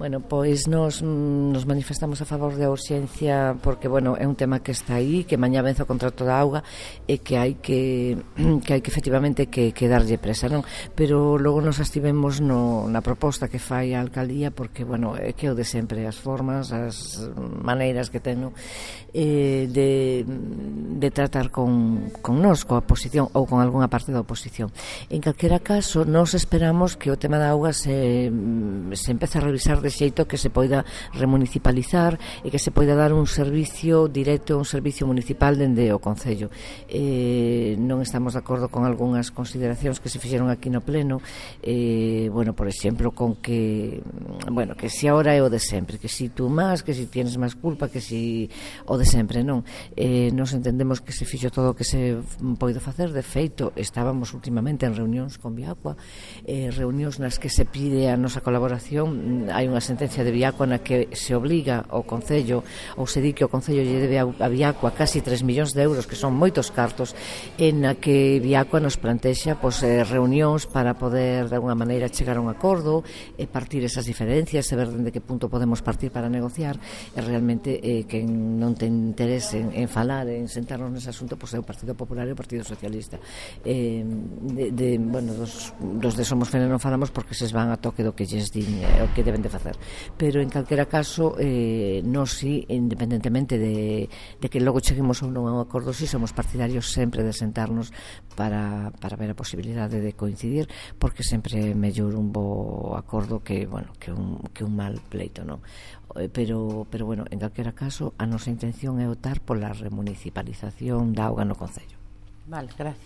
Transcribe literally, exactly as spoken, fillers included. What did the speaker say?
Bueno, pois nos, nos manifestamos a favor da urxencia porque, bueno, é un tema que está aí, que mañá vence o contrato da auga e que hai que que hai que efectivamente que, que darlle presa, non? Pero logo nos estivemos no, na proposta que fai a alcaldía porque, bueno, é que o de sempre, as formas, as maneiras que ten, non? Eh, de, de tratar con, con nós, coa oposición ou con algunha parte da oposición. En calquera caso, nós esperamos que o tema da auga se, se empece a revisar de xeito que se poida remunicipalizar e que se poida dar un servicio directo, un servicio municipal dende o Concello. Eh, non estamos de acordo con algunhas consideracións que se fixeron aquí no pleno, eh, bueno, por exemplo, con que, bueno, que si ahora é o de sempre, que si tú máis, que si tienes máis culpa, que si o de sempre, non? Eh, nos entendemos que se fixo todo o que se poida facer, de feito, estábamos últimamente en reunións con Viacua, eh, reunións nas que se pide a nosa colaboración. Hai unha sentencia de Viacua na que se obliga ao Concello, ou se di que o Concello lle debe a Viacua casi tres millóns de euros, que son moitos cartos, en na que Viacua nos plantexa pois, eh, reunións para poder de alguna maneira chegar a un acordo e partir esas diferencias e ver dende que punto podemos partir para negociar, e realmente eh, que non ten interés en, en falar, en sentarnos nese asunto, pois é o Partido Popular e o Partido Socialista. Eh, de, de, bueno, dos, dos de Somos Fene non falamos porque se van a toque do que lles din eh, o que deben de facer, pero en calquera caso eh, nós si, independentemente de, de que logo cheguemos ou non a un acordo, si somos partidarios sempre de sentarnos para, para ver a posibilidade de coincidir, porque sempre é mellor un bo acordo que, bueno, que un, que un mal pleito, non? Pero, pero bueno, en calquera caso a nosa intención é optar pola remunicipalización da auga no Concello. Vale, gracias.